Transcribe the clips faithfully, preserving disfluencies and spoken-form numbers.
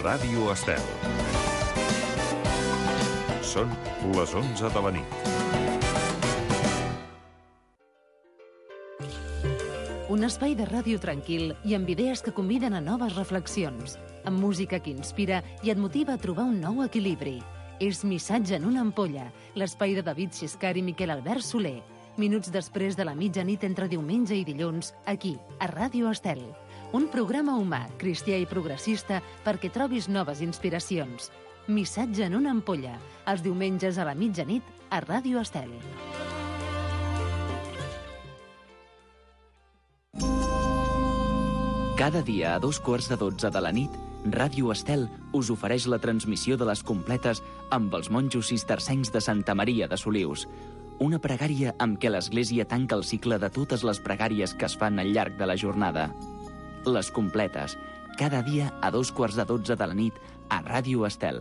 Ràdio Estel. Són les onze de la nit. Un espai de ràdio tranquil i amb idees que conviden a noves reflexions, amb música que inspira i et motiva a trobar un nou equilibri. És Missatge en una ampolla, l'espai de David Xiscar i Miquel Albert Soler. Minuts després de la mitjanit entre diumenge i dilluns, aquí, a Ràdio Estel. Un programa humà, cristià i progressista perquè trobis noves inspiracions. Missatge en una ampolla, els diumenges a la mitjanit a Ràdio Estel. Cada dia a dos quarts de dotze de la nit, Ràdio Estel us ofereix la transmissió de les completes amb els monjos cistercencs de Santa Maria de Solius. Una pregària amb què l'Església tanca el cicle de totes les pregàries que es fan al llarg de la jornada. Les completes, cada dia a dos quarts de dotze de la nit a Ràdio Estel.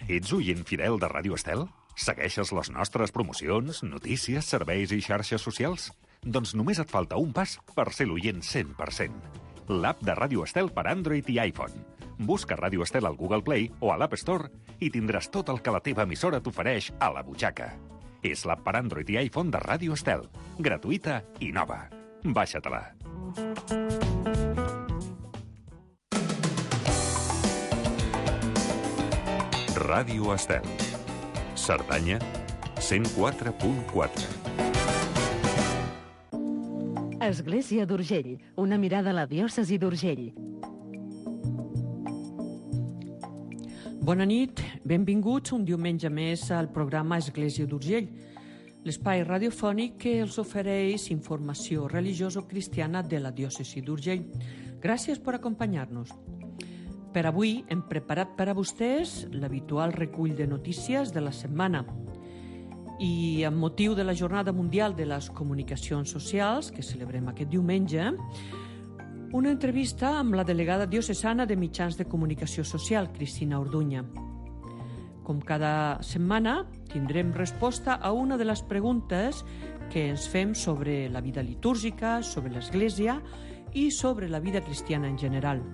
Ets oient fidel de Ràdio Estel? Segueixes les nostres promocions, notícies, serveis i xarxes socials? Doncs només et falta un pas per ser l'oient cent per cent. L'app de Ràdio Estel per Android i iPhone. Busca Ràdio Estel al Google Play o a l'App Store i tindràs tot el que la teva emissora t'ofereix a la butxaca. És l'app per Android i iPhone de Ràdio Estel. Gratuïta i nova. Baixa-te-la. Ràdio Estel. Cerdanya, cent quatre punt quatre. Església d'Urgell, una mirada a la diòcesi d'Urgell. Bona nit, benvinguts un diumenge més al programa Església d'Urgell, l'espai radiofònic que els ofereix informació religioso-cristiana de la diòcesi d'Urgell. Gràcies per acompanyar-nos. Per avui hem preparat per a vostès l'habitual recull de notícies de la setmana. I amb motiu de la Jornada Mundial de les Comunicacions Socials, que celebrem aquest diumenge, una entrevista amb la delegada diocesana de Mitjans de Comunicació Social, Cristina Orduña. Com cada setmana, tindrem resposta a una de les preguntes que ens fem sobre la vida litúrgica, sobre l'Església i sobre la vida cristiana en general.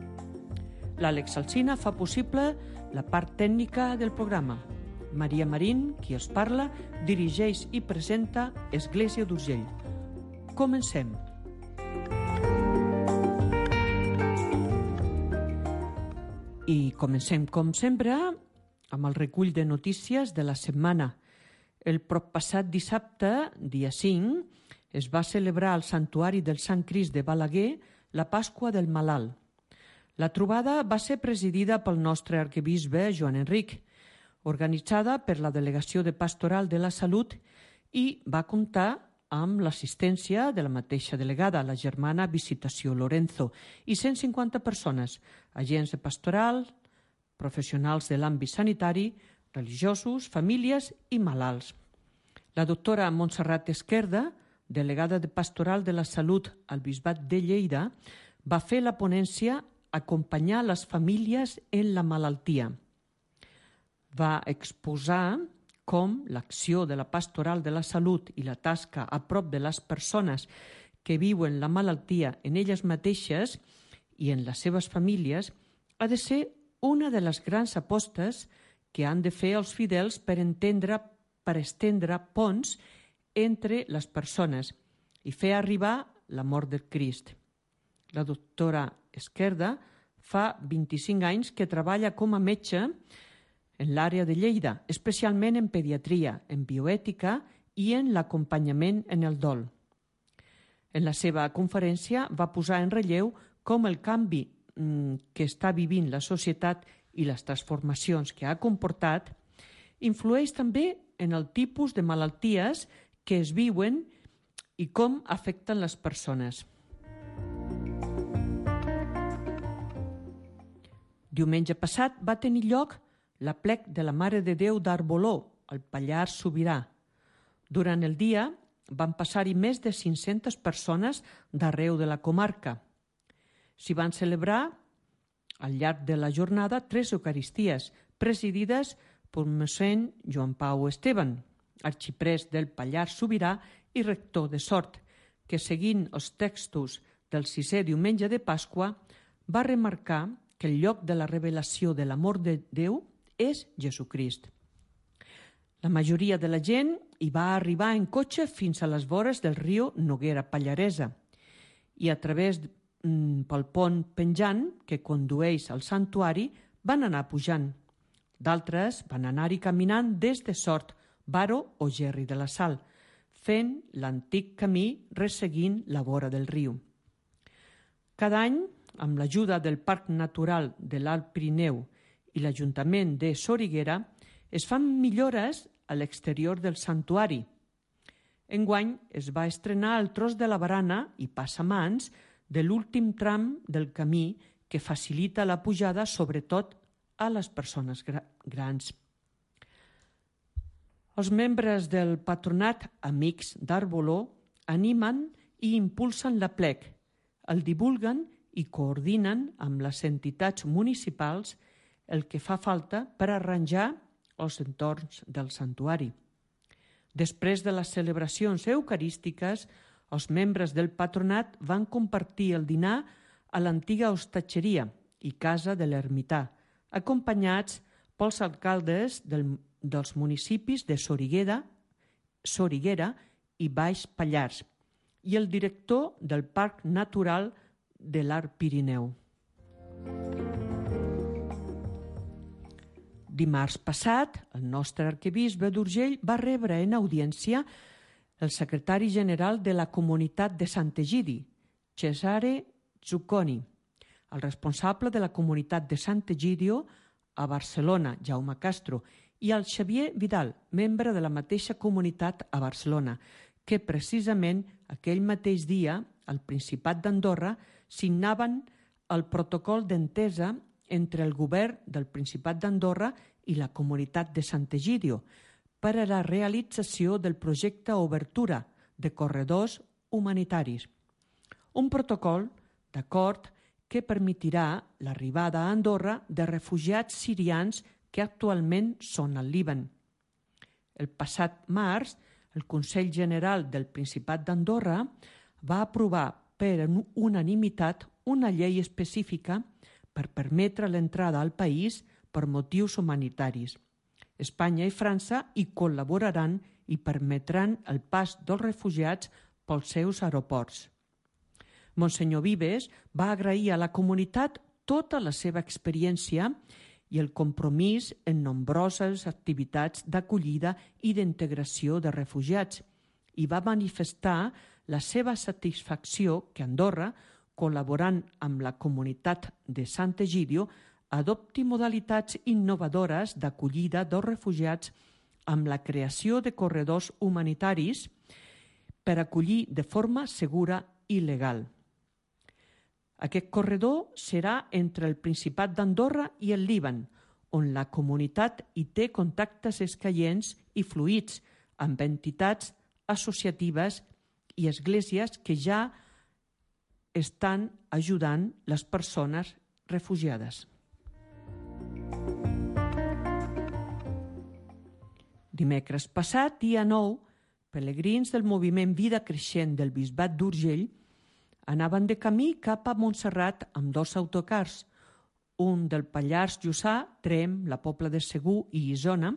L'Àlex Alsina fa possible la part tècnica del programa. Maria Marín, qui els parla, dirigeix i presenta Església d'Urgell. Comencem. I comencem, com sempre, amb el recull de notícies de la setmana. El proppassat dissabte, dia cinc, es va celebrar al Santuari del Sant Crist de Balaguer la Pasqua del Malalt. La trobada va ser presidida pel nostre arquebisbe Joan Enric, organitzada per la Delegació de Pastoral de la Salut i va comptar amb l'assistència de la mateixa delegada, la germana Visitació Lorenzo, i cent cinquanta persones, agents de pastoral, professionals de l'àmbit sanitari, religiosos, famílies i malalts. La doctora Montserrat Esquerda, delegada de Pastoral de la Salut al Bisbat de Lleida, va fer la ponència Acompanyar les famílies en la malaltia. Va exposar com l'acció de la Pastoral de la Salut i la tasca a prop de les persones que viuen la malaltia en elles mateixes i en les seves famílies ha de ser una de les grans apostes que han de fer els fidels per entendre, per estendre ponts entre les persones i fer arribar la mort del Crist. La doctora Esquerda fa vint-i-cinc anys que treballa com a metge en l'àrea de Lleida, especialment en pediatria, en bioètica i en l'acompanyament en el dol. En la seva conferència va posar en relleu com el canvi que està vivint la societat i les transformacions que ha comportat influeix també en el tipus de malalties que es viuen i com afecten les persones. Diumenge passat va tenir lloc l'aplec de la Mare de Déu d'Arboló, al Pallars Sobirà. Durant el dia van passar-hi més de cinc-centes persones d'arreu de la comarca. S'hi van celebrar, al llarg de la jornada, tres eucaristies, presidides per mossèn Joan Pau Esteban, arxiprest del Pallars Sobirà i rector de Sort, que seguint els textos del sisè diumenge de Pasqua va remarcar que el lloc de la revelació de l'amor de Déu és Jesucrist. La majoria de la gent hi va arribar en cotxe fins a les vores del riu Noguera Pallaresa i a través mm, pel pont penjant que condueix al santuari van anar pujant. D'altres van anar-hi caminant des de Sort, Baro o Gerri de la Sal, fent l'antic camí resseguint la vora del riu. Cada any, amb l'ajuda del Parc Natural de l'Alt Pirineu i l'Ajuntament de Soriguera, es fan millores a l'exterior del santuari. Enguany es va estrenar el tros de la barana i passamans de l'últim tram del camí que facilita la pujada sobretot a les persones gra- grans. Els membres del patronat Amics d'Arboló animen i impulsen l'aplec, el divulguen i coordinen amb les entitats municipals el que fa falta per arranjar els entorns del santuari. Després de les celebracions eucarístiques, els membres del patronat van compartir el dinar a l'antiga hostatgeria i casa de l'ermità, acompanyats pels alcaldes del, dels municipis de Soriguera, Soriguera i Baix Pallars i el director del Parc Natural de l'Alt Pirineu. Dimarts passat, el nostre arquebisbe d'Urgell va rebre en audiència el secretari general de la Comunitat de Sant'Egidi, Cesare Zucconi, el responsable de la Comunitat de Sant'Egidio a Barcelona, Jaume Castro, i el Xavier Vidal, membre de la mateixa comunitat a Barcelona, que precisament aquell mateix dia, al Principat d'Andorra, signaven el protocol d'entesa entre el govern del Principat d'Andorra i la comunitat de Sant'Egidio per a la realització del projecte Obertura de corredors humanitaris. Un protocol d'acord que permetirà l'arribada a Andorra de refugiats sirians que actualment són al Líban. El passat març, el Consell General del Principat d'Andorra va aprovar per unanimitat una llei específica per permetre l'entrada al país per motius humanitaris. Espanya i França hi col·laboraran i permetran el pas dels refugiats pels seus aeroports. Monsenyor Vives va agrair a la comunitat tota la seva experiència i el compromís en nombroses activitats d'acollida i d'integració de refugiats i va manifestar la seva satisfacció que Andorra, col·laborant amb la comunitat de Sant'Egidio, adopti modalitats innovadores d'acollida dels refugiats amb la creació de corredors humanitaris per acollir de forma segura i legal. Aquest corredor serà entre el Principat d'Andorra i el Líban, on la comunitat hi té contactes escaients i fluïts amb entitats associatives i esglésies que ja estan ajudant les persones refugiades. Dimecres passat, dia nou, pelegrins del moviment Vida Creixent del Bisbat d'Urgell anaven de camí cap a Montserrat amb dos autocars, un del Pallars Jussà, Trem, la Pobla de Segur i Isona,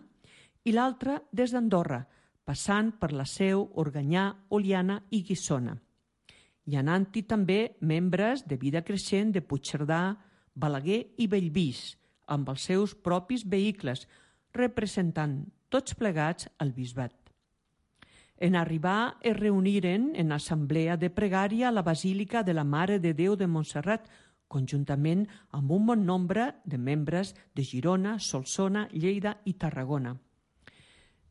i l'altre des d'Andorra, passant per la Seu, Organyà, Oliana i Guissona. I anant-hi també membres de Vida Creixent de Puigcerdà, Balaguer i Bellvís, amb els seus propis vehicles, representant tots plegats al bisbat. En arribar es reuniren en assemblea de pregària a la Basílica de la Mare de Déu de Montserrat, conjuntament amb un bon nombre de membres de Girona, Solsona, Lleida i Tarragona.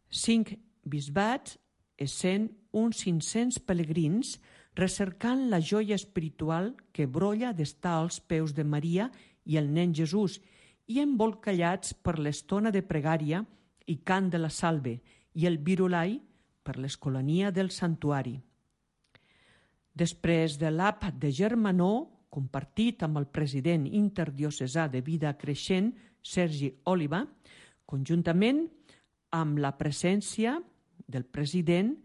Cinc bisbats, essent uns cinc-cents pelegrins, recercant la joia espiritual que brolla d'estar als peus de Maria i el nen Jesús i embolcallats per l'estona de pregària i cant de la salve i el virulai per l'escolania del santuari. Després de l'àpat de Germanó, compartit amb el president interdiocesà de Vida Creixent, Sergi Òliva, conjuntament amb la presència del president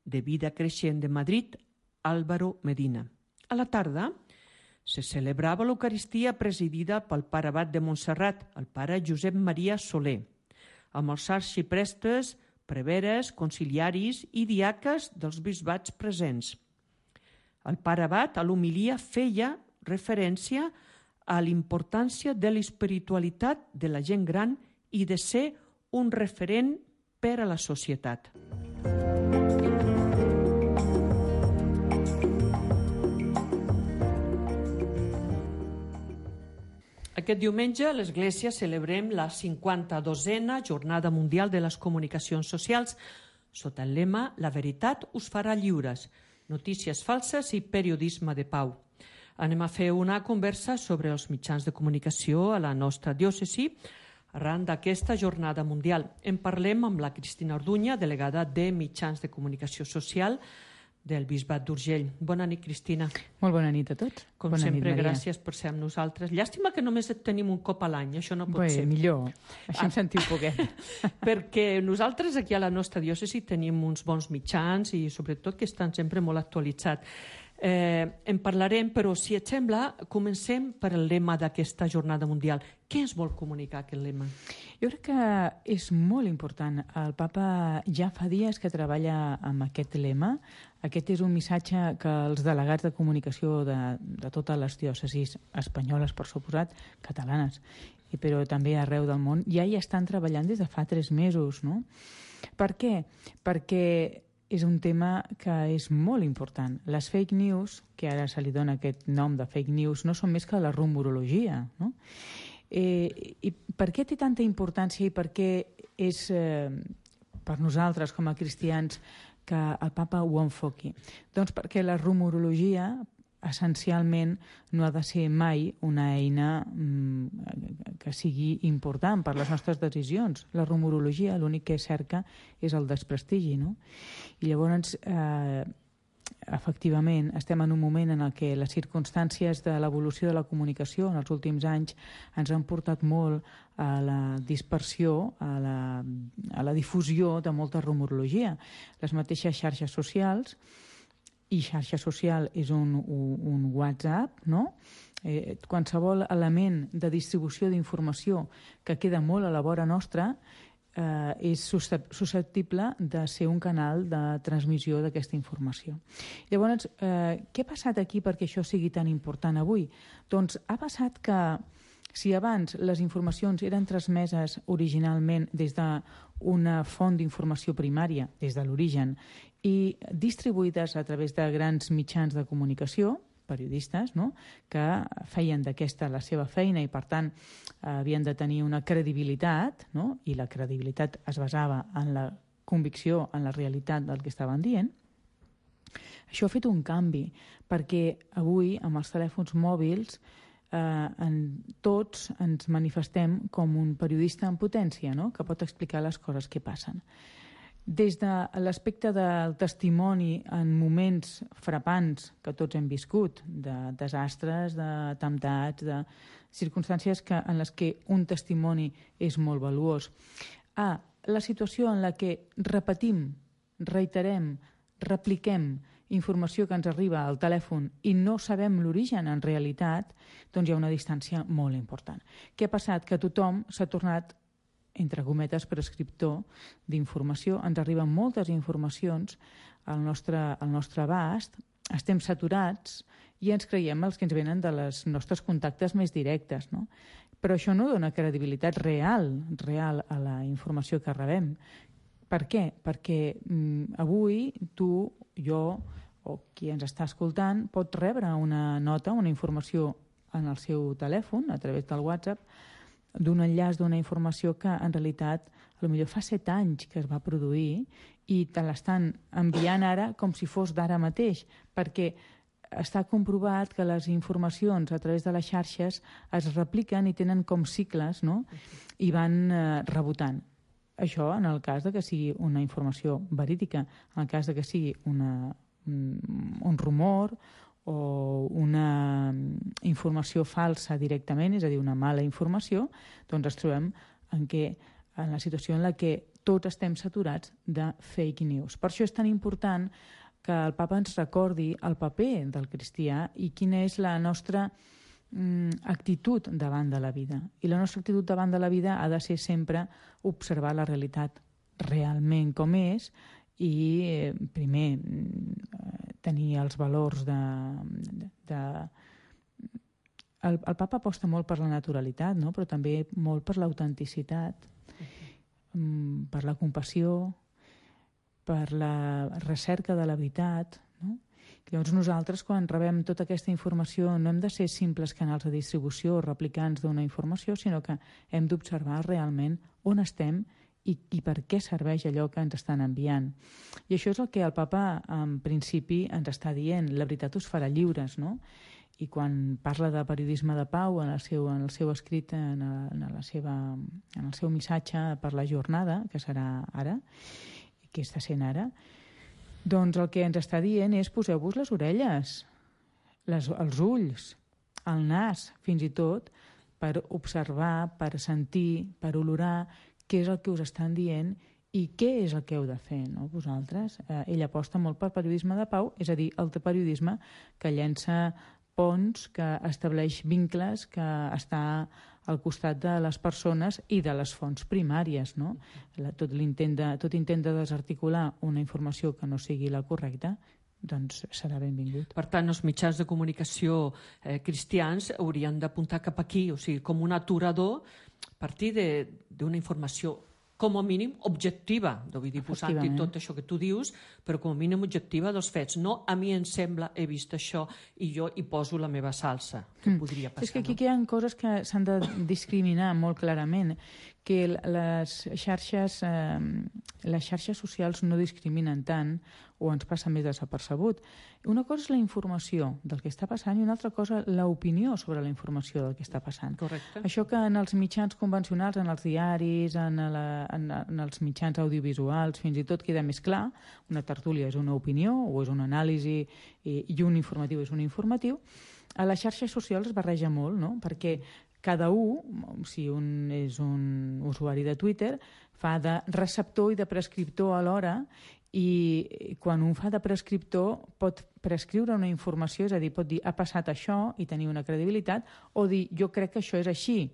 de Vida Creixent de Madrid, Álvaro Medina. A la tarda se celebrava l'Eucaristia presidida pel pare abat de Montserrat, el pare Josep Maria Soler, amb els arxiprestes, preveres, conciliaris i diaques dels bisbats presents. El pare abat a l'homilia feia referència a l'importància de l'espiritualitat de la gent gran i de ser un referent per a la societat. Aquest diumenge a l'Església celebrem la cinquanta-dosena Jornada Mundial de les Comunicacions Socials sota el lema «La veritat us farà lliures, notícies falses i periodisme de pau». Anem a fer una conversa sobre els mitjans de comunicació a la nostra diòcesi arran d'aquesta Jornada Mundial. En parlem amb la Cristina Orduña, delegada de Mitjans de Comunicació Social del Bisbat d'Urgell. Bona nit, Cristina. Molt bona nit a tots. Com bona sempre, nit, gràcies per ser amb nosaltres. Llàstima que només et tenim un cop a l'any, això no pot Bé, ser. millor, així Ah. em sentiu poquet. Perquè nosaltres aquí a la nostra diòcesi tenim uns bons mitjans i sobretot que estan sempre molt actualitzats. Eh, en parlarem, però si et sembla, comencem per el lema d'aquesta Jornada Mundial. Què ens vol comunicar aquest lema? Jo crec que és molt important. El papa ja fa dies que treballa amb aquest lema. Aquest és un missatge que els delegats de comunicació de, de totes les diòcesis espanyoles, per suposat, catalanes, i però també arreu del món, ja hi estan treballant des de fa tres mesos, no? Per què? Perquè és un tema que és molt important. Les fake news, que ara se li dona aquest nom de fake news, no són més que la rumorologia, no? Eh, I per què té tanta importància i per què és eh, per nosaltres com a cristians que el papa ho enfoqui? Doncs perquè la rumorologia essencialment no ha de ser mai una eina mm, que sigui important per les nostres decisions. La rumorologia l'únic que cerca és el desprestigi, no? I llavors, eh, efectivament, estem en un moment en el què les circumstàncies de l'evolució de la comunicació en els últims anys ens han portat molt a la dispersió, a la, a la difusió de molta rumorologia. Les mateixes xarxes socials, i xarxa social és un, un, un WhatsApp, no? Eh, qualsevol element de distribució d'informació que queda molt a la vora nostra eh, és susceptible de ser un canal de transmissió d'aquesta informació. Llavors, eh, què ha passat aquí perquè això sigui tan important avui? Doncs ha passat que si abans les informacions eren transmeses originalment des d'una font d'informació primària, des de l'origen, i distribuïdes a través de grans mitjans de comunicació, periodistes, no?, que feien d'aquesta la seva feina i, per tant, havien de tenir una credibilitat, no?, i la credibilitat es basava en la convicció, en la realitat del que estaven dient. Això ha fet un canvi, perquè avui, amb els telèfons mòbils, eh, en tots ens manifestem com un periodista en potència, no?, que pot explicar les coses que passen. Des de l'aspecte del testimoni en moments frapants que tots hem viscut, de desastres, d'atemptats, de circumstàncies que, en les que un testimoni és molt valuós, a la situació en la que repetim, reiterem, repliquem informació que ens arriba al telèfon i no sabem l'origen en realitat, doncs hi ha una distància molt important. Què ha passat? Que tothom s'ha tornat, entre cometes, prescriptor d'informació. Ens arriben moltes informacions al nostre, al nostre abast, estem saturats i ens creiem els que ens venen de les nostres contactes més directes, no? Però això no dona credibilitat real, real a la informació que rebem. Per què? Perquè mm, avui tu, jo o qui ens està escoltant pot rebre una nota, una informació en el seu telèfon, a través del WhatsApp, d'un enllaç d'una informació que en realitat potser fa set anys que es va produir i te l'estan enviant ara com si fos d'ara mateix, perquè està comprovat que les informacions a través de les xarxes es repliquen i tenen com cicles, no?, i van eh, rebotant. Això en el cas de que sigui una informació verídica, en el cas de que sigui una, un, un rumor o una informació falsa directament, és a dir, una mala informació, doncs ens trobem en, què, en la situació en la que tots estem saturats de fake news. Per això és tan important que el papa ens recordi el paper del cristià i quina és la nostra mm, actitud davant de la vida. I la nostra actitud davant de la vida ha de ser sempre observar la realitat realment com és i, eh, primer, eh, tenir els valors de... de, de el, el papa aposta molt per la naturalitat, no? Però també molt per l'autenticitat, mm, per la compassió, per la recerca de la veritat, no? Llavors nosaltres, quan rebem tota aquesta informació, no hem de ser simples canals de distribució o replicants d'una informació, sinó que hem d'observar realment on estem i, i per què serveix allò que ens estan enviant. I això és el que el papa, en principi, ens està dient. La veritat us farà lliures, no? I quan parla de periodisme de pau en el seu, en el seu escrit, en, a, en, la seva, en el seu missatge per la jornada, que serà ara, que està sent ara, doncs el que ens està dient és poseu-vos les orelles, les, els ulls, el nas, fins i tot, per observar, per sentir, per olorar què és el que us estan dient i què és el que heu de fer, no? Vosaltres. Eh, ell aposta molt per periodisme de pau, és a dir, el periodisme que llença ponts, que estableix vincles, que està al costat de les persones i de les fonts primàries, no? La, tot, l'intent de, tot intent de desarticular una informació que no sigui la correcta, doncs serà benvingut. Per tant, els mitjans de comunicació eh, cristians haurien d'apuntar cap aquí, o sigui, com un aturador a partir d'una informació com a mínim objectiva, vull dir, posant-hi tot això que tu dius, però com a mínim objectiva dels fets. No, a mi em sembla, he vist això i jo hi poso la meva salsa, que mm. podria passar. És que aquí no? hi ha coses que s'han de discriminar molt clarament, que les xarxes, eh, les xarxes socials no discriminen tant o ens passa més desapercebut. Una cosa és la informació del que està passant i una altra cosa l'opinió sobre la informació del que està passant. Correcte. Això que en els mitjans convencionals, en els diaris, en, la, en, en els mitjans audiovisuals, fins i tot queda més clar, una tertúlia és una opinió o és una anàlisi i, i un informatiu és un informatiu, a les xarxes socials es barreja molt, no? Perquè cada un, si un és un usuari de Twitter, fa de receptor i de prescriptor alhora i quan un fa de prescriptor pot prescriure una informació, és a dir, pot dir ha passat això i tenir una credibilitat o dir jo crec que això és així,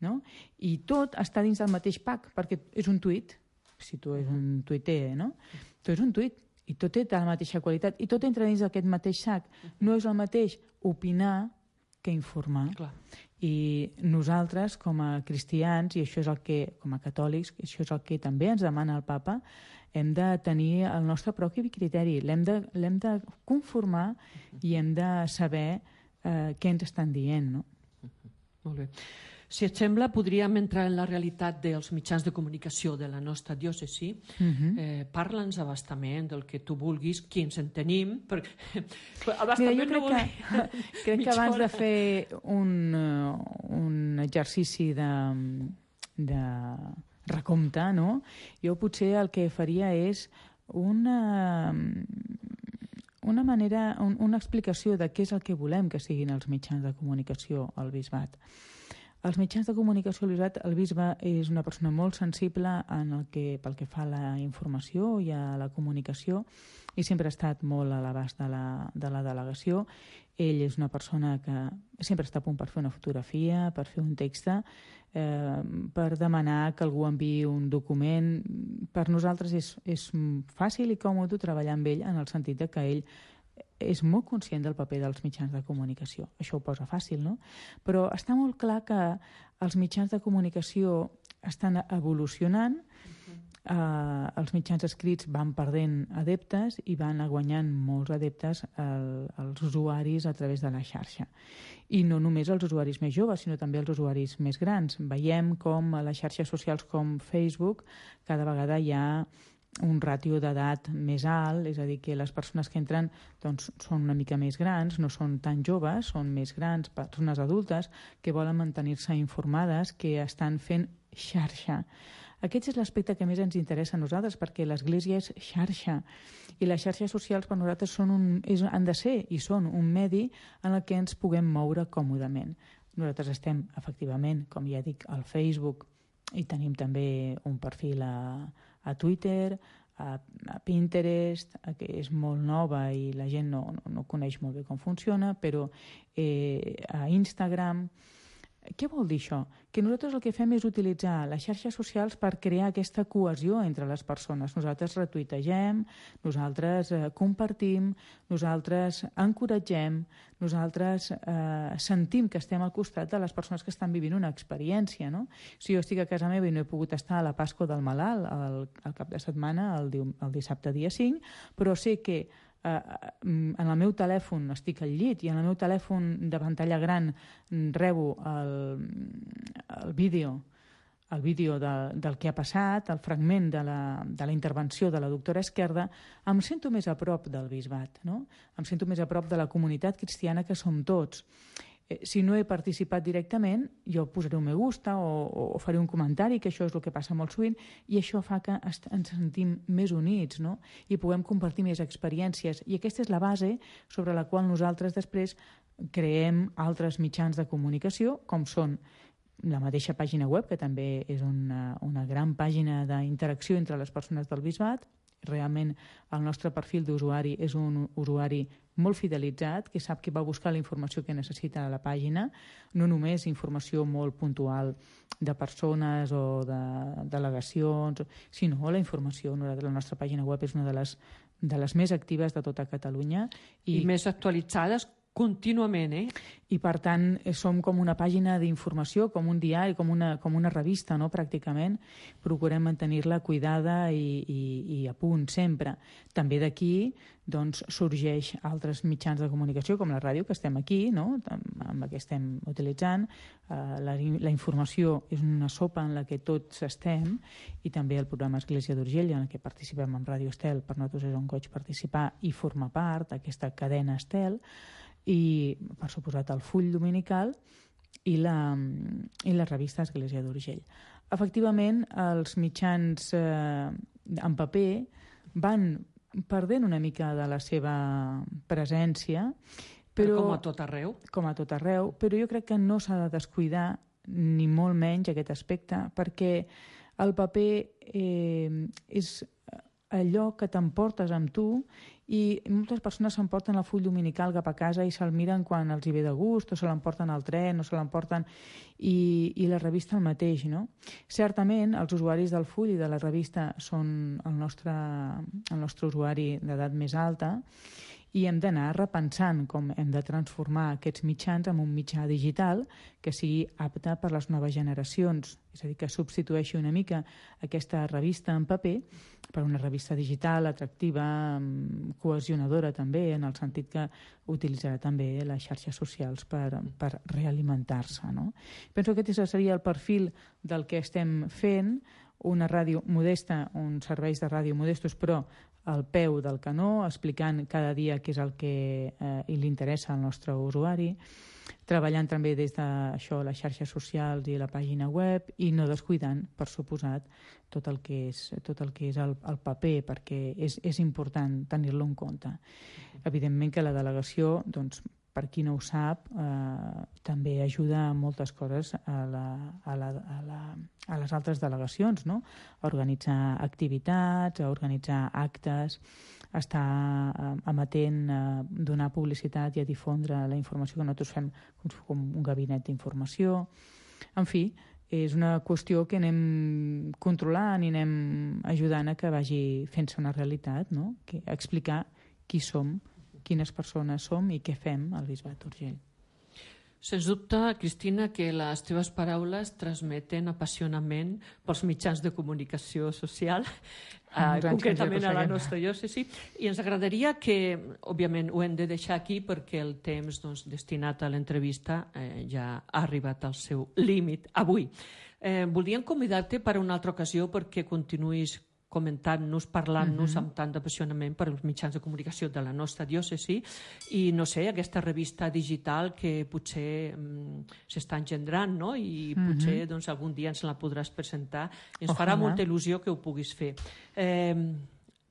no? I tot està dins del mateix pack perquè és un tuit, si tu és un tuiter, no? Tu és un tuit i tot té la mateixa qualitat i tot entra dins d'aquest mateix sac. No és el mateix opinar que informar. Clar. I nosaltres, com a cristians, i això és el que, com a catòlics, això és el que també ens demana el papa, hem de tenir el nostre propi criteri, l'hem de, l'hem de conformar i hem de saber eh, què ens estan dient, no? Molt bé. Si et sembla, podríem entrar en la realitat dels mitjans de comunicació de la nostra diòcesi. Uh-huh. eh, Parla'ns abastament del que tu vulguis, qui ens en tenim. Perquè... Mira, jo crec, no que, crec que abans de fer un, un exercici de, de recompte, no? Jo potser el que faria és una... una manera, un, una explicació de què és el que volem que siguin els mitjans de comunicació al bisbat. Els mitjans de comunicació, el bisbe és una persona molt sensible en el que, pel que fa a la informació i a la comunicació i sempre ha estat molt a l'abast de, la, de la delegació. Ell és una persona que sempre està a punt per fer una fotografia, per fer un text, eh, per demanar que algú enviï un document. Per nosaltres és, és fàcil i còmode treballar amb ell en el sentit de que ell és molt conscient del paper dels mitjans de comunicació. Això ho posa fàcil, no? Però està molt clar que els mitjans de comunicació estan evolucionant, uh-huh. eh, els mitjans escrits van perdent adeptes i van guanyant molts adeptes el, els usuaris a través de la xarxa. I no només els usuaris més joves, sinó també els usuaris més grans. Veiem com a les xarxes socials com Facebook cada vegada hi ha un ràtio d'edat més alt, és a dir, que les persones que entren doncs, són una mica més grans, no són tan joves, són més grans, persones adultes que volen mantenir-se informades, que estan fent xarxa. Aquest és l'aspecte que més ens interessa a nosaltres, perquè l'Església és xarxa i les xarxes socials per nosaltres són un, és, han de ser i són un medi en el que ens puguem moure còmodament. Nosaltres estem, efectivament, com ja dic, al Facebook, i tenim també un perfil a, a Twitter, a, a Pinterest, que és molt nova i la gent no, no, no coneix molt bé com funciona, però eh, a Instagram. Què vol dir això? Que nosaltres el que fem és utilitzar les xarxes socials per crear aquesta cohesió entre les persones. Nosaltres retuitegem, nosaltres eh, compartim, nosaltres encoratgem, nosaltres eh, sentim que estem al costat de les persones que estan vivint una experiència. No? Si jo estic a casa meva i no he pogut estar a la Pasqua del Malalt al, al cap de setmana, el, el dissabte dia cinc, però sé que en el meu telèfon estic al llit i en el meu telèfon de pantalla gran rebo el, el vídeo el vídeo de, del que ha passat, el fragment de la, de la intervenció de la doctora Esquerda, em sento més a prop del bisbat, no? Em sento més a prop de la comunitat cristiana que som tots. Si no he participat directament, jo posaré un me gusta o, o faré un comentari, que això és el que passa molt sovint, i això fa que ens sentim més units, no? I puguem compartir més experiències. I aquesta és la base sobre la qual nosaltres després creem altres mitjans de comunicació, com són la mateixa pàgina web, que també és una, una gran pàgina d'interacció entre les persones del bisbat. Realment el nostre perfil d'usuari és un usuari molt fidelitzat, que sap que va buscar la informació que necessita a la pàgina, no només informació molt puntual de persones o de delegacions, sinó la informació. La nostra pàgina web és una de les, de les més actives de tota Catalunya. I, I més actualitzades contínuament, eh? I per tant som com una pàgina d'informació, com un diari, com una, com una revista, no? Pràcticament. Procurem mantenir-la cuidada i, i, i a punt sempre. També d'aquí doncs, sorgeix altres mitjans de comunicació, com la ràdio, que estem aquí, no? Amb la que estem utilitzant. Uh, la, la informació és una sopa en la que tots estem, i també el programa Església d'Urgell, en què participem amb Ràdio Estel. Per nosaltres és un goig participar i formar part d'aquesta cadena Estel, i per suposat el full dominical i la, i la revista Església d'Urgell. Efectivament, els mitjans eh, en paper van perdent una mica de la seva presència, però, però com a tot arreu. Com a tot arreu, però jo crec que no s'ha de descuidar ni molt menys aquest aspecte, perquè el paper eh, és allò que t'emportes amb tu, i moltes persones s'emporten el full dominical cap a casa i se'l miren quan els hi ve de gust, o se l'emporten al tren, o se l'emporten, i, i la revista el mateix, no? Certament, els usuaris del full i de la revista són el nostre, el nostre usuari d'edat més alta, i hem d'anar repensant com hem de transformar aquests mitjans en un mitjà digital que sigui apte per les noves generacions. És a dir, que substitueixi una mica aquesta revista en paper per una revista digital atractiva, cohesionadora també, en el sentit que utilitzarà també les xarxes socials per, per realimentar-se, no? Penso que aquest seria el perfil del que estem fent, una ràdio modesta, uns serveis de ràdio modestos, però al peu del canó, explicant cada dia què és el que eh, li interessa al nostre usuari, treballant també des de això, les xarxes socials i la pàgina web, i no descuidant, per suposat, tot el que és, tot el, que és el, el paper, perquè és, és important tenir-lo en compte. Evidentment que la delegació, doncs, per qui no ho sap, eh, també ajuda a moltes coses a, la, a, la, a, la, a les altres delegacions, no? A organitzar activitats, a organitzar actes, a estar eh, amatent, a donar publicitat i a difondre la informació que nosaltres fem com, com un gabinet d'informació. En fi, és una qüestió que anem controlant i anem ajudant a que vagi fent-se una realitat, no? Que, a explicar qui som, quines persones som i què fem al Bisbat d'Urgell. Sens dubte, Cristina, que les teves paraules transmeten apassionament pels mitjans de comunicació social, eh, concretament a la nostra diòcesi, i ens agradaria que, òbviament, ho hem de deixar aquí perquè el temps doncs, destinat a l'entrevista eh, ja ha arribat al seu límit avui. Eh, voldríem convidar-te per a una altra ocasió perquè continuïs comentant-nos, parlant-nos uh-huh. amb tant d'apassionament per als mitjans de comunicació de la nostra diòcesi i, no sé, aquesta revista digital que potser um, s'està engendrant, no? I uh-huh. potser doncs, algun dia ens la podràs presentar. I ens Ojalà. Farà molta il·lusió que ho puguis fer. Eh,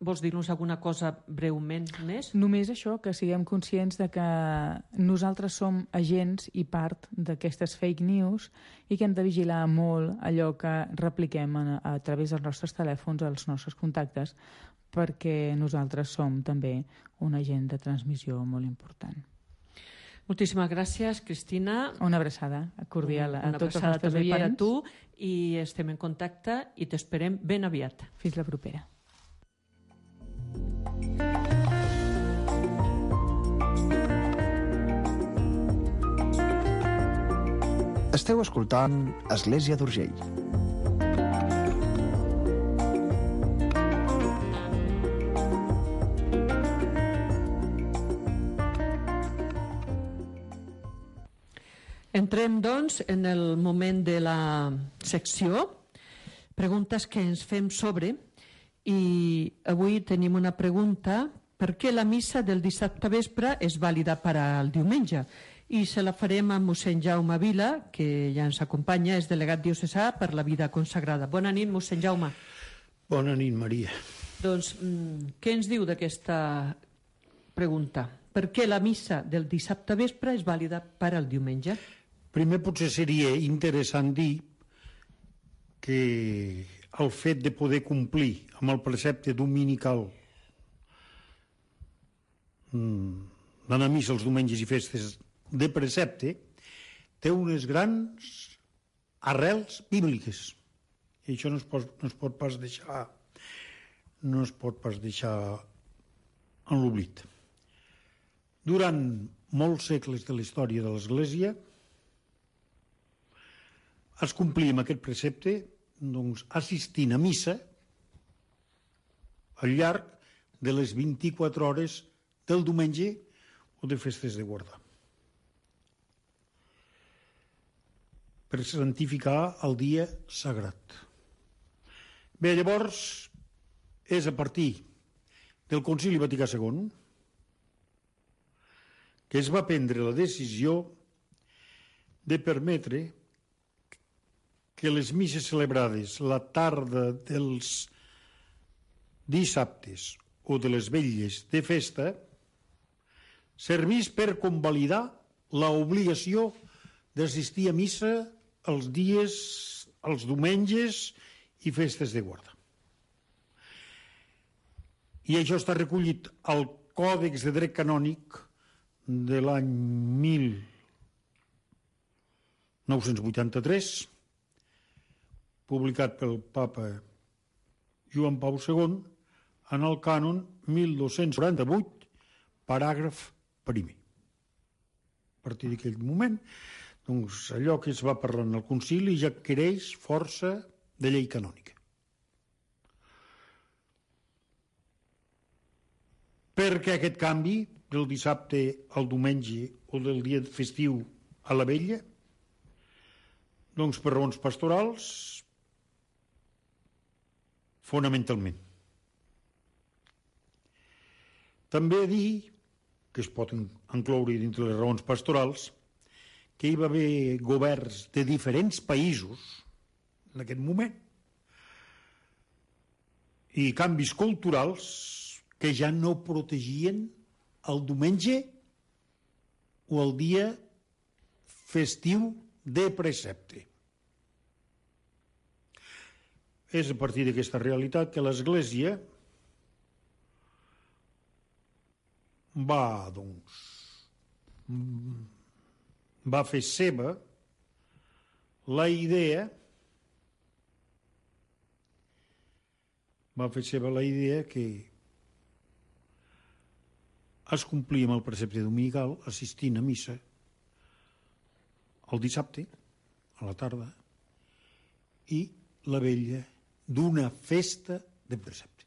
vols dir-nos alguna cosa breument més? Només això, que siguem conscients de que nosaltres som agents i part d'aquestes fake news i que hem de vigilar molt allò que repliquem a, a través dels nostres telèfons, als nostres contactes, perquè nosaltres som també un agent de transmissió molt important. Moltíssimes gràcies, Cristina. Una abraçada cordial a tots els nostres també per a oients. tu i estem en contacte i t'esperem ben aviat. Fins la propera. Esteu escoltant Església d'Urgell. Entrem, doncs, en el moment de la secció, preguntes que ens fem sobre, i avui tenim una pregunta: per què la missa del dissabte vespre és vàlida per al diumenge? I se la farem a mossèn Jaume Vila, que ja ens acompanya, és delegat diocesà per la vida consagrada. Bona nit, mossèn Jaume. Bona nit, Maria. Doncs, què ens diu d'aquesta pregunta? Per què la missa del dissabte vespre és vàlida per al diumenge? Primer potser seria interessant dir que el fet de poder complir amb el precepte dominical d'anar a missa els diumenges i festes de precepte té unes grans arrels bíbliques i això no es pot, no es pot pas deixar no es pot pas deixar en l'oblit. Durant molts segles de la història de l'Església es complia amb aquest precepte doncs, assistint a missa al llarg de les vint-i-quatre hores del diumenge o de festes de guardar, per santificar el dia sagrat. Bé, llavors és a partir del Concili Vaticà segon que es va prendre la decisió de permetre que les misses celebrades la tarda dels dissabtes o de les vetlles de festa servís per convalidar l'obligació d'assistir a missa els dies, els diumenges i festes de guarda. I això està recollit al Còdex de Dret Canònic de l'any mil nou-cents vuitanta-tres, publicat pel papa Joan Pau segon, en el cànon mil dos-cents quaranta-vuit, paràgraf primer. A partir d'aquell moment, doncs, allò que es va parlar en el concili ja adquireix força de llei canònica. Perquè aquest canvi del dissabte al diumenge o del dia festiu a la vetlla, doncs per raons pastorals, fonamentalment. També dir, que es pot incloure dintre les raons pastorals, que hi va haver governs de diferents països en aquest moment i canvis culturals que ja no protegien el diumenge o el dia festiu de precepte. És a partir d'aquesta realitat que l'Església va, doncs, va fer seva la idea va fer seva la idea que es complia amb el precepte dominical assistint a missa el dissabte a la tarda i la vetlla d'una festa de precepte.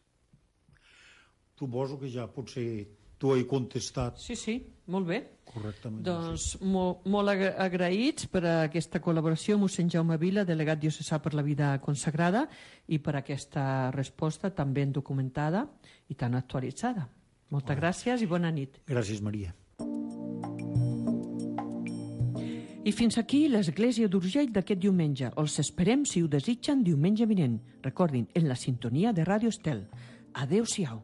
Suposo que ja potser tu he contestat. Sí, sí, molt bé. Correctament. Doncs molt, molt agraïts per aquesta col·laboració, mossèn Jaume Vila, delegat diocesà per la vida consagrada, i per aquesta resposta tan ben documentada i tan actualitzada. Moltes bueno. gràcies i bona nit. Gràcies, Maria. I fins aquí l'Església d'Urgell d'aquest diumenge. Els esperem, si ho desitgen, diumenge vinent. Recordin, en la sintonia de Ràdio Estel. Adéu-siau.